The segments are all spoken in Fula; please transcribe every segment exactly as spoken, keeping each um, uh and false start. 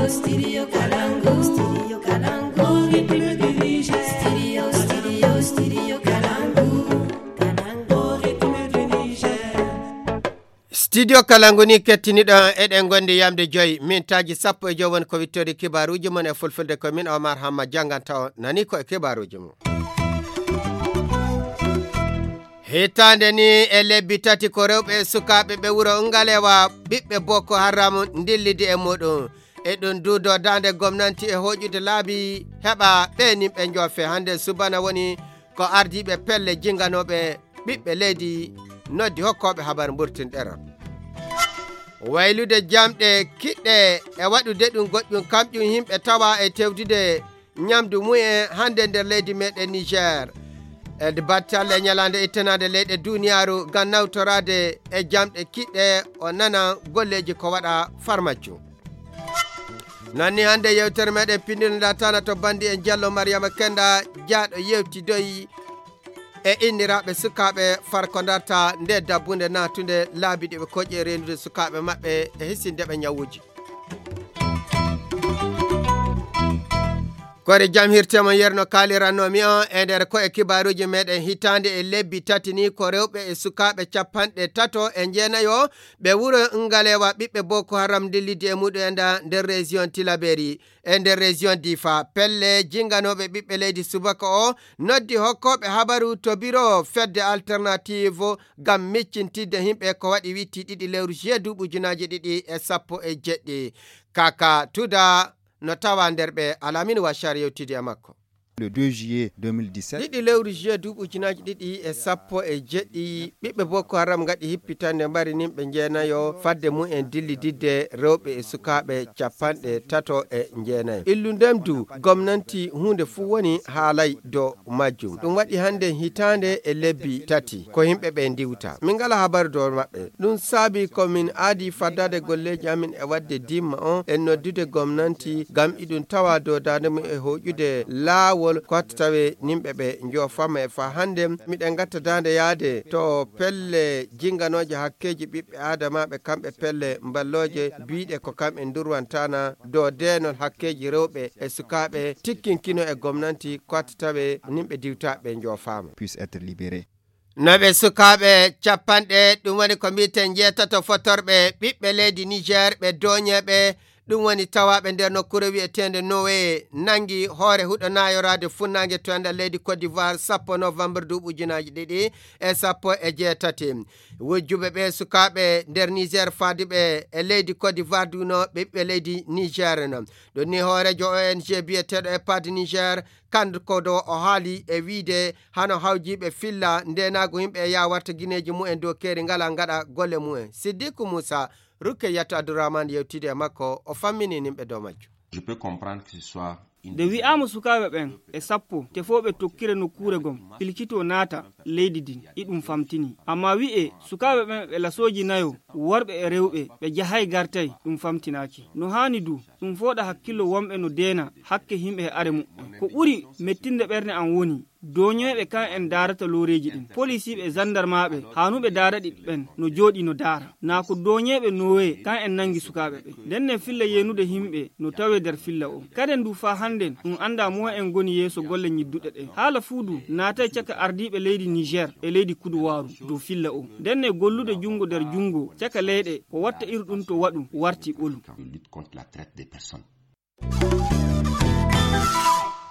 Studio Kalangu, Studio Kalangu, Studio, Studio, Studio Kalangu, Kalangu, Studio Kalangu ni kettiniɗo eɗen gondi yamde joyi mintaaji sappo e joyi woni ko wittori kibaruuji mon e fulfulde ko min Omar Hamma jannganta on nani ko e kibaruuji mum. Hitaande ni e lebbi tati ko rewɓe e sukaaɓe ɓe wuro Ngalewa ɓiɓɓe Boko Haram ndillidi e muɗum. E ɗum duudo daande gomnanti e hoƴude laabi heɓa ɓe nimɓe njoofe. Hannde subana woni ko ardiiɓe pelle jinganooɓe ɓiɓɓe leydi noddi hokkooɓe habar mburtin ɗeral. Waylude jamɗe kiɗɗe e waɗude ɗum goɗɗum kamƴum yimɓe tawa e tewdude ñamdu mumen hannde nder leydi meɗen Niger. E battalle ñalaande ittanaande leyɗe duniyaaru ngam nawtoraade e jamɗe kiɗɗe o nana golleeji ko waɗa farmaccu. Nanni hannde yewtere meɗen pinndinda tana to bandi en Jallo Mariama Kenda jaaɗo yewtidoyi e inniraaɓe sukaaɓe farko darta nde dabbunde natunde laabi ɗi ɓe koƴi e reenude sukaaɓe maɓɓe e hisinde ɓe ñawuuji. Kore jam hirtemo yerno kalirannomi on e nder ko e kibaruji meɗen hitande e lebbi tati ni ko rewɓe e sukaɓe capanɗe tato e jeenayo ɓe wuro Ngalewa ɓiɓɓe Boko Haram ndillidi e muɗum enda nder région Tilaberi e nder région Difa. Pelle jinganoɓe ɓiɓɓe leydi subaka o noddi hokkoɓe habaru to biro fedde alternative ngam miccintidde himɓe ko waɗi witti ɗiɗi lewru juillet duuɓi ujunaji ɗiɗi e sappo e jeɗɗi. Kaka Tuda no tawa nder ɓe Alamin Washar yewtidi e makko. Le deux juillet deux mille dix-sept. Ɗiɗi lewru juillet duuɓi ujunaji ɗiɗi e sappo e jeɗɗi, ɓiɓɓe Boko Haram ngaɗi hippitande mbari nimɓe jeenayo fadde mum en dillididde rewɓe e sukaaɓe capanɗe tato e jeenayo. Illu ndem du gomnanti huunde fuu woni haalay dow majjum. Ɗum waɗi hannde hitaande e lebbi tati ko yimɓe ɓe ndiwta. Min ngala habaru dow maɓɓe. Ɗum saabi ko min aadi faddade golleeji amin e waɗde dimma on e noddude gomnanti ngam iɗum tawa dow daande mum e hoƴude laawol ko watta tawe nimɓe ɓe njoofama e faa hannde miɗen ngatta daande yaade to pelle jinganooje hakkeeji ɓiɓɓe aadamaaɓe kamɓe pelle mballooje biiɗe ko kam en ndurwantana dow deenol hakkeeji rewɓe e sukaaɓe tikkinkino e gomnanti ko watta tawe nimɓe diwtaaɓe njoofaama. Puisse être libéré. No ɓe sukaaɓe capanɗe, ɗum woni ko mbiyeten njeetato fotorɓe ɓiɓɓe leydi Niger, ɓe dooñeeɓe, ɗum woni tawaaɓe nder nokkuure wiyeteende Nowe, nanngi hoore huɗo naayoraade funnaange to enɗan leydi Côte d'Ivoire sappo novembre duuɓi ujunaaji ɗiɗi e sappo e jeetati. Wujjuɓe ɓe sukaaɓe nder Niger faaduɓe e leydi Côte d'Ivoire duno ɓe ɓiɓɓe leydi Niger no. Ɗum ni hooreejo O N G biyeteeɗo EPAD Niger, kanko do o haali e wiide hano hawjiiɓe filla ndeenaagu yimɓe e yaa warta gineeji mumen dow keeri ngala ngaɗa golle mumen. Siddiku Muusa, Rukkeyatu Abdurrahman yewtidi e makko, o fammini nimɓe dow majjum. Je peux comprendre que ce soit une nde wi'aama sukaaɓe ɓen e sappo tefooɓe tokkire nokkuure gom pilkitoo naata leydi din, iɗum famtini. Amma wi'e sukaaɓe ɓen ɓe lasooji nayo, worɓe e rewɓe, ɓe jahay gartay, ɗum famtinaaki. No haani du, ɗum fooɗa hakkillo wonɓe no deena hakke yimɓe e are muɓɓen. Ko ɓuri mettinde ɓernde am woni dooñoyɓe kan en daarata looreeji ɗin, polisiiɓe e zandarmaaɓe haanuɓe daaraɗi ɓen no jooɗii no daara. Naa ko dooñeeɓe Nowe kan en nangi sukaaɓe ɓen. Nden ne filla yeenude yimɓe no tawee nder filla o. Kaden du faa hannden ɗum anndaa mo'en en ngoni yeeso golle ñidduɗe ɗen. Haala fuu du naatay caka ardiiɓe leydi Niger e leydi Kuduwaaru dow filla o. Nden ne gollude junngo nder junngo caka leyɗe ko watta iru ɗum to waɗu warti ɓolu. De lutte contre la traite des personnes.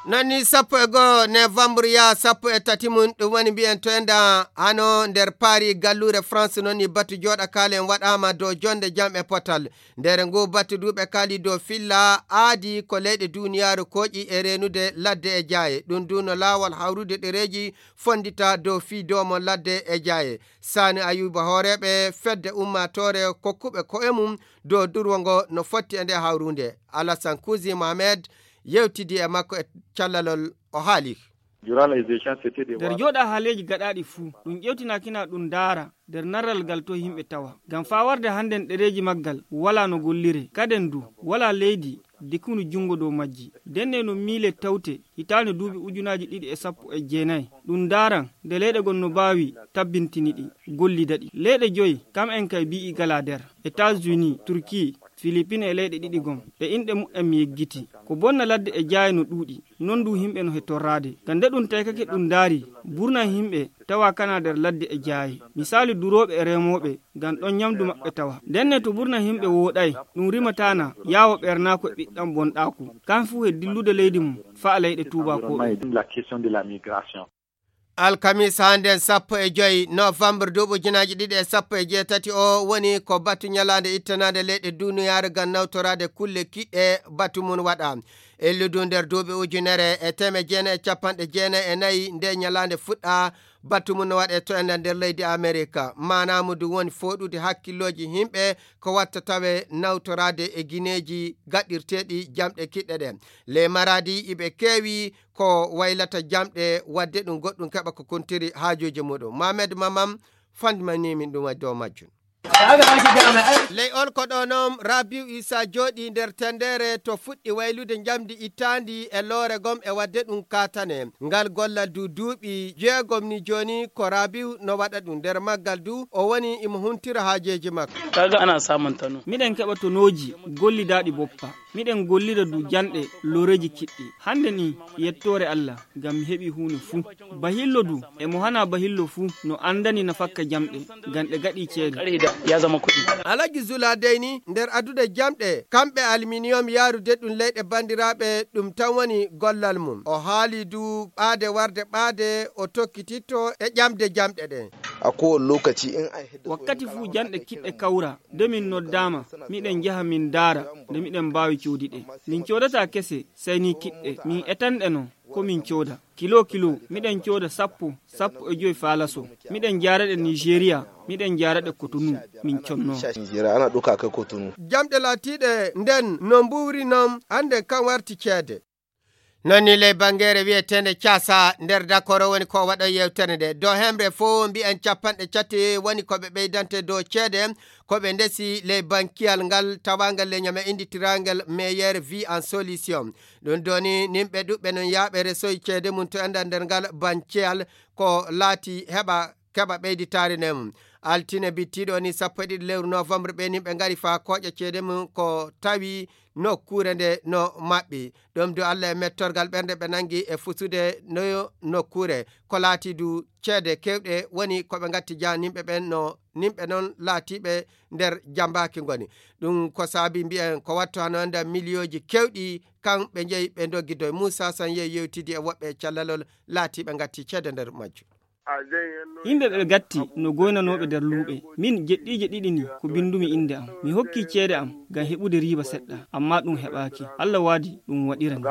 Nani sappo e goo novembre yaa sappo e tati mum, ɗum woni mbiyen to enda hano nder Paris, galluure France. Noon ni batu jooɗa kaalen waɗaama dow jonde jam e potal. Nder ngu batu duuɓe kaali dow filla aadi ko leyɗe duuniyaaru kooƴi e reenude ladde e jaaye. Ɗum du no laawol hawrude ɗereeji fonndita dow fii doomo ladde e jaaye. Sani Ayuba hooreeɓe fedde ummaatoore kokkuɓe ko'e mum dow durwo ngo no fotti e nde hawruunde. Alasan Kuusi Mohamed yewtidi e makko e callalol, o haali. Durant les échanges, c'était des nder jooɗa haaleeji gaɗaaɗi fuu, ɗum ƴewtinaakina ɗum ndaara nder narral ngal to yimɓe tawa. Ngam faa warde hannden ɗereeji maggal walaa no golliree. Kaden du, walaa leydi dikunu junngo dow majji. Ndenne no miile tawte hitaande duuɓi ujunaaji ɗiɗi e sappo e jeenayi. Ɗum ndaaran nde leyɗe gon no baawi tabbintini ɗi, gollida ɗi. Leyɗe joyi, kam en kay bi'i galaa nder. États-Unis, Turquie, Filipin e leyɗe ɗiɗi gom, e inɗe muɓɓen mi yeggiti. Ko bonna ladde e jaaye no ɗuuɗi, non du yimɓe no he torraade. Ngam nde ɗum taykake ɗum ndaari, burna yimɓe tawa kana nder ladde e jaaye. Misaalu durooɓe e remooɓe, ngam ɗon nyamdu maɓɓe tawa. Ndenne to burna yimɓe wooɗay, ɗum rimataana yaawo ɓernaako e ɓiɗɗam bonɗaaku. Kan fuu he dillude leydi mum, faa leyɗe tuubaakooɓe. La question de la migration. Alkamiisa hannden sappo e joy novembre duuɓi ujunaaji ɗiɗi e sappo e jeetati o woni ko batu ñalaande ittanaande leyɗe duniyaaru ngam nawtoraade kulle kiɗɗe batu mum waɗa. Elludu nder duuɓi ujunere e teemedde jeenayi e capanɗe jeenayi e nayi nde ñalaande fuɗɗa batu mum no waɗe to enen nder leydi Amerika. Maanaamu ndu woni fooɗude hakkillooji yimɓe ko watta tawe nawtoraade e gineeji gaɗirteeɗi jamɗe kiɗɗe ɗe. Ley maraadi iɓe keewi ko waylata jamɗe, wadde ɗum goɗɗum keɓa ko kuntiri haajuuji muɗum. Mamed Mamam fandimanii min ɗum e dow majjum. Ley on ko ɗo noon Rabiu Isa jooɗi nder tendere to fuɗɗi waylude njamdi ittaandi e loore gom e wadde ɗum kaatane. Ngal gollal du duuɓi jeegom ni jooni ko Rabiu no waɗa ɗum. Nder maggal du o woni imo huntira haajeeji makko. Kaga ana samun tano. Miɗen keɓa tonooji gollidaaɗi boppa. Miɗen gollida du janɗe looreeji kiɗɗi. Hannde ni, yettoore Allah, ngam mi heɓi huunde fuu. Bahillo du, e mo hana bahillo fuu, no anndani nafakka jamɗe, ngam ɗe gaɗi ceede. Alhaji Zula dey ni, nder addude jamɗe, kamɓe aluminium yaarude ɗum leyɗe banndiraaɓe, ɗum tan woni gollal mum. O haali du ɓaade warde ɓaade, o tokkititto e ƴamde jamɗe ɗen. A kowane lokaci in an hidda. Wakkati fuu janɗe kiɗɗe kawra, de min noddaama, miɗen njaha min ndaara, de miɗen mbaawi coodi ɗe. Min coodataa kese, sey ni kiɗɗe. Min etanɗe non, ko min cooda. Kilo kilo, miɗen cooda sappo, sappo e joy faalaso. Miɗen jaara ɗe Nigeria, miɗen jaara ɗe Cotonou, min conno. Nigeria, ana ɗauka kai Cotonou. Jamɗe laatiiɗe nden no mbuuri non, hannde kan warti ceede. Non ni ley bangeere wi'eteende Caasa nder Dakoro woni ko waɗo yewtere nde. Dow hemre fof mbi'en capanɗe cati woni ko ɓe ɓeydante dow ceede ko ɓe ndesi ley bankiyal ngal tawaangal ley ñame innditiraangal meilleure vie en solution. Ɗum doni nimɓe ɗuɓɓe non yaaɓe resoy ceede mum to enɗan nder ngal bankiyal ko laati heɓa keɓa ɓeyditaare nden mum. Altine bittiiɗo ni sappo e ɗiɗi lewru novembre ɓe nimɓe ngari faa kooƴa ceede mum ko tawi nokkuure nde no maɓɓi. Ɗum du Allah e mettorgal ɓernde ɓe nangi e fusude no nokkuure. Ko laati du ceede keewɗe woni ko ɓe ngatti jaa nimɓe ɓen no nimɓe non laatiiɓe nder jambaaki ngoni. Ɗum ko saabi mbi'en ko wattu hano enda miliyooji keewɗi kan ɓe njeyi ɓe ndoggidoy. Muusa San yehi yewtidi e woɓɓe e callalol laatiiɓe ngatti ceede nder majju. Yimɓe ɓe gatti no goynanooɓe nder luuɓe. Min jeɗɗiije ɗiɗi ni ko binndumi innde am. Mi hokki ceede am ngam heɓude riiba seɗɗa, ammaa ɗum heɓaaki. Allah waadi ɗum waɗirani.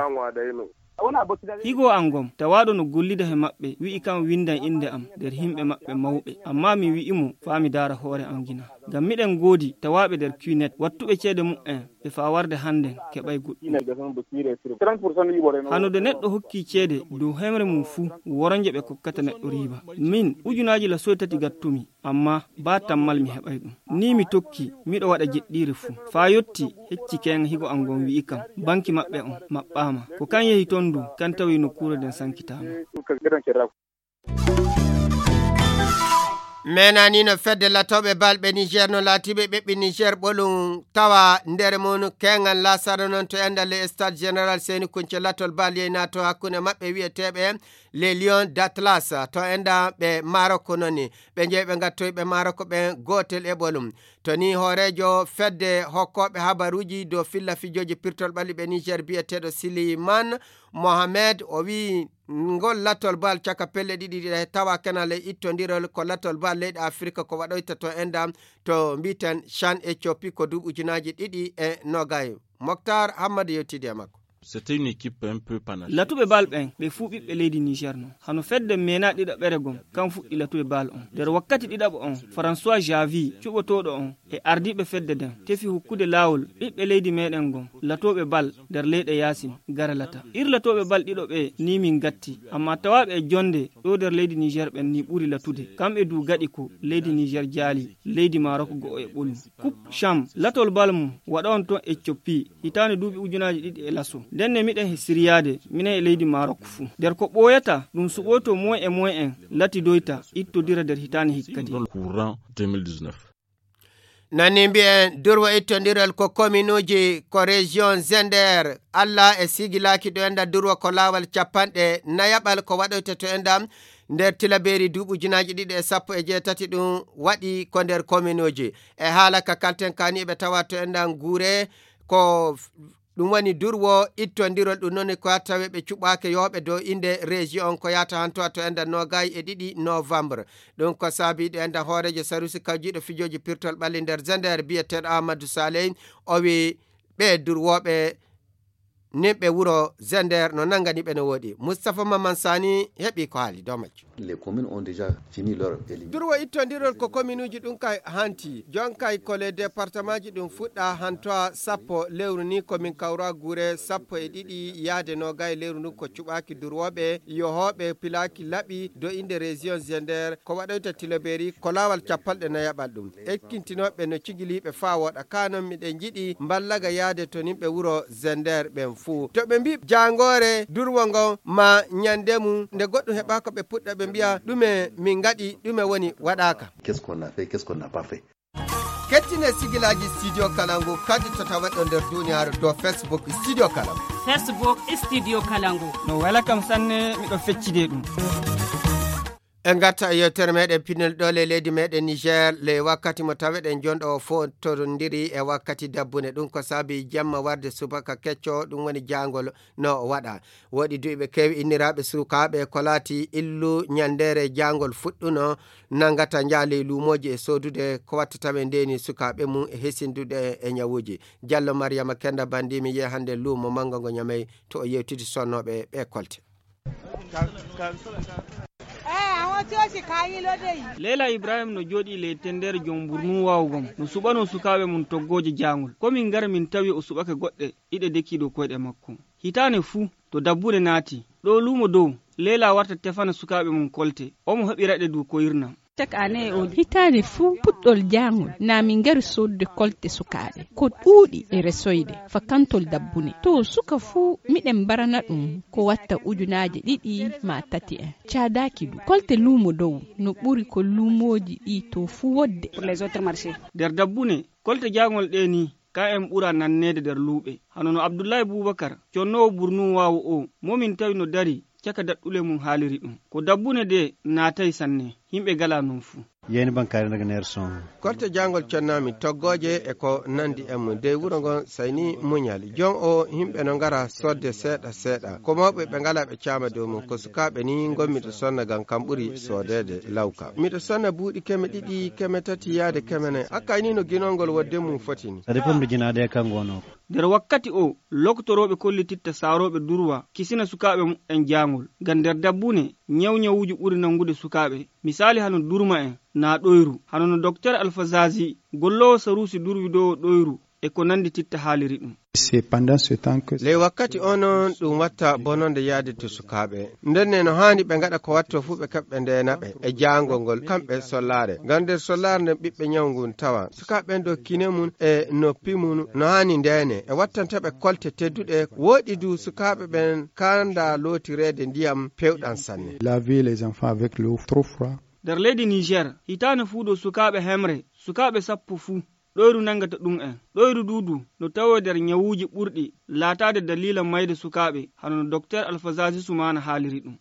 Higo am gom, tawaaɗo no gollida he maɓɓe, wi'i kam winndan innde am nder yimɓe maɓɓe mawɓe. Ammaa mi wi'i mo, faa mi daara hoore am gina. Ngam miɗen ngoodi tawaaɓe nder Q net, wattuɓe ceede mu'en, ɓe faa warde hannden keɓay goɗɗum. Hano de neɗɗo hokki ceede dow hemre mum fuu, woronje ɓe kokkata neɗɗo riiba. Min, ujunaaji lasoy tati gattumi, ammaa baa tammal mi heɓay ɗum. Ni mi tokki, miɗo waɗa jeɗɗiire fuu. Faa yotti, hecci keeŋa higo am ngon wi'i kam, banki maɓɓe on maɓɓaama. Ko kan yehi ton du, kan tawi nokkuure nden sankitaama. Menani no fedde latooɓe bal ɓe Niger no laatiiɓe ɓeɓɓe Niger ɓolum tawa nder mum keŋal lasara noon to endal le stade général Seni Kunce latol bal yeynaato hakkunde maɓɓe wi'eteeɓe les Lions d'Atlas to enda ɓe Maroc noon ni ɓe jeyi ɓe ngattoyi ɓe Maroc ɓen gootel e ɓolum. To ni hooreejo fedde hokkooɓe habaruuji dow filla fijooji pirtol ɓalli ɓe Niger bi'eteeɗo Siliman Mohamed o wi'i ngol latol bal caka pelle ɗiɗi ɗiɗa he tawa kenal e ittondirol ko latol bal leyɗe Afirka ko waɗoyta to enda to mbi'eten Chan Ethiopie ko duuɓi ujunaaji ɗiɗi e nogay. Moktar Hammadi yewtidi e makko. C'était une équipe un peu panache. Latuɓe bal ɓen ɓe fuu ɓiɓɓe leydi Niger non. Hano fedde mena ɗiɗaɓere gom kan fuɗɗi latuɓe bal on. Nder wakkati ɗiɗaɓo on, François Javi cuɓotooɗo on e ardiiɓe fedde nden tefi hokkude laawol ɓiɓɓe leydi meɗen gom latooɓe bal nder leyɗe yaasin gara lata. Ir latooɓe bal ɗiɗo ɓe ni min gatti, amma tawaaɓe e jonde ɗo nder leydi Niger ɓen ni ɓuri latude. Kamɓe du gaɗi ko leydi Niger jaali leydi Maroc go'o e ɓolum. Coupe Cham latol bal mum waɗa on ton Ethiopie hitaande duuɓi ujunaaji ɗiɗi e laso. Ndenne miɗen he siriyaade minen e leydi Maroc fuu. Nder ko ɓooyata ɗum suɓoyto moyen e moyen en latidoyta ittodira nder hitaande hikka di. Dans le courant deux mille dix-neuf. Nani mbiyen durwo ittondiral ko kominuuji ko région Zender, Alla e sigilaaki ɗo enda durwo ko laawol capanɗe nayaɓal ko waɗoyta to enda nder tilabeeri duuɓi ujunaaji ɗiɗi e sappo e jeetati ɗum waɗi ko nder kominuuji. E haala ka kalten kaani ɓe tawa to enda nguure ko ɗum woni durwo ittondirol ɗum noon ko tawe ɓe cuɓaake yooɓe dow innde région on ko yahata hanto to enda noogay e ɗiɗi novembre. Ɗum ko saabi ɗo enda hooreejo sarusi kawjiiɗo fijooji pirtol ɓalli nder Zender biyeteeɗo Amadou Saleh o wi ɓe durwooɓe nimɓe wuro Zender no nangani ɓe no woɗi. Moustapha Maman Sani heɓi ko haali dow majjum. Les communes ont déjà fini leur élimination. Durwo ittondirol ko kominuuji ɗum kay hanti. Jon kay ko les départements ji ɗum fuɗɗa hantoa sappo lewru ni komin kawra guure sappo e ɗiɗi yaade noogay lewru ndu ko cuɓaaki durwooɓe yohooɓe pilaaki laɓi do innde région Zender ko waɗoyta tilobeeri ko laawol capanɗe nayaɓal ɗum. Ekkintinooɓe no cigiliiɓe faa wooɗa. Kaa non miɗen njiɗi mballaga yaade to nimɓe wuro Zender ɓen fuu. To ɓe mbii jaangoore durwo ngon maa ñande mum, nde goɗɗum heɓaaka ɓe puɗɗa ɓe mbiya, "Ɗume min ngaɗi, ɗume woni waɗaaka?" Qu'est-ce qu'on a fait, qu'est-ce qu'on n'a pas fait? Kettine sigilaaji Studio Kalangu kadi to taweɗo nder duniyaaru dow Facebook Studio Kalangu. Facebook Studio Kalangu. No wela kam sanne, miɗo feccide ɗum. En ngarta e yewtere meɗen pinal ɗo le leydi meɗen Niger, le wakkati mo taweɗen jonɗo o fotondiri e wakkati dabbune. Ɗum ko saabi jamma warde subaka kecco, ɗum woni jangol no waɗa. Woɗi duuɓi kewi inniraaɓe sukaaɓe ko laati illu ñandere jangol fuɗɗuno nangata njaali luumooji e soodude ko watta tawe ndeni sukaaɓe mum e hesindude e ñawuuji. Jallo Mariama Kenda Bandi mi yehi hannde luumo manngo ngo Ñamey to o yewtidi sonnooɓe ɓe kolte. Leila Ibrahim no jooɗii ley tender jom mburnun waawu gom, no suɓanoo sukaaɓe mum toggooje jaangol. Ko min ngara min tawi o suɓake goɗɗe ɗiɗe dekii dow koyɗe makko. Hitaane fuu, to dabbune naati, ɗo luumo dow, Leila warta tefana sukaaɓe mum kolte. Omo heɓira ɗe du ko irnam. Chaque année, o hitaande fuu puɗɗol jaangol, na min ngari soodude kolte sukaaɓe. Ko ɗuuɗi e resoyde, fakantol dabbune. To suka fuu, miɗen mbarana ɗum ko watta ujunaaje ɗiɗi maa tati en. Caadaaki du. Kolte luumo dow, no ɓuri ko luumooji ɗi to fuu wodde. Pour les autres marchés. Nder dabbune, kolte jaangol ɗe ni, ka en ɓura nanneede nder luuɓe. Hano no Abdullahi Bubakar, connoowo burnun waawu o, mo min tawi no dari, caka daɗɗule mum haaliri ɗum. Ko dabbune de naatay sanne, yimɓe gala non fuu. Yeyni bankaare daga nder son. Kolte jaangol connami toggooje e ko nandi e mum. Dey wuro ngon sayni muñal. Jon o yimɓe no ngara sodde seeɗa seeɗa. Ko mawɓe ɓe ngala ɓe caama dow mum. Ko sukaaɓe ni ngonmi to sonna ngam kam ɓuri soodeede lawka. Miɗo sonna buuɗi keme ɗiɗi, keme tati yaade keme nayi. Hakkay ni no ginol ngol wodde mum foti ni. Ça dépend de jinaade e kan gono. Nder wakkati o, loktorooɓe kollititta saarooɓe durwa kisina sukaaɓe muɓɓen jaangol. Ngam nder dabbune, ñawñawuuji ɓuri nanngude sukaaɓe. Misaali hano durma en, naa ɗoyru. Hano no Doktor Alfa Zazi, golloowo saruusi durwi dow ɗoyru, e ko nanndi titta haaliri ɗum. C'est pendant ce temps que. Ley wakkati o noon ɗum watta bononde yaade to sukaaɓe. Nden ne no haani ɓe ngaɗa ko watto fuu ɓe kaɓɓe ndeena ɓe e jaangol ngol kamɓe sollaare. Ngam nder sollaare nden ɓiɓɓe ñaw ngun tawa. Sukaaɓe ɓen dow kine mum e noppi mum no haani ndeene. E wattanta ɓe kolte tedduɗe. Wooɗi du sukaaɓe ɓen kaanda lootireede ndiyam pewɗam sanne. Laver les enfants avec l'eau trop froid. Nder leydi Niger, hitaande fuu dow sukaaɓe hemre, sukaaɓe sappo fuu, ɗoyru nanngata ɗum en. Ɗoyru du du no tawee nder ñawuuji ɓurɗi laataade daliila mayde sukaaɓe, hano no Doktor Alfa Zazi Sumaana haaliri ɗum.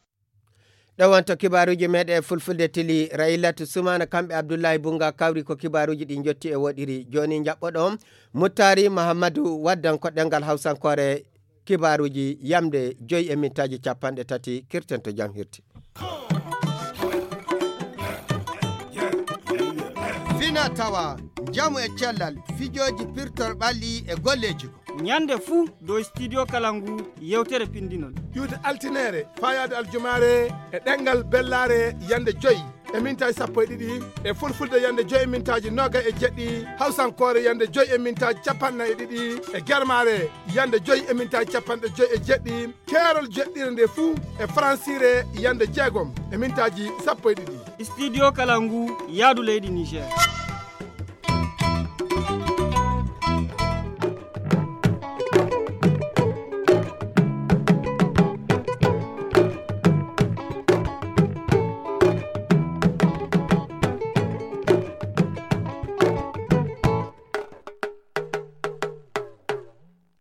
Ɗo wonto kibaaruuji meɗen e fulfulde tili, Raylatu Sumaana kamɓe Abdullahi Bunga kawri ko kibaaruuji ɗi njotti e woɗiri. Jooni njaɓɓoɗon Muttari Mahammadu waddan ko ɗemngal Hawsankoore kibaaruuji yamde joyi e mintaaji capanɗe tati, kirten to jam hirti. Fina tawa, njamu e cellal, fijooji pirtol ɓalli e golleeji. Ñande fuu dow Studio Kalangu yewtere pindinol. Iwde altineere, faayaade aljumaare e ɗemngal bellaare yande joyi e mintaaji sappo e ɗiɗi, e fulfulde yande joyi e mintaaji noogay e jeɗɗi, hawsankoore yande joyi e mintaaji capanɗe nayi e ɗiɗi, e germaare yande joyi e mintaaji capanɗe joyi e jeɗɗi, keerol jeɗɗire nde fuu e faransiire yande jeegom e mintaaji sappo e ɗiɗi. Studio Kalangu, yaadu leydi Niger.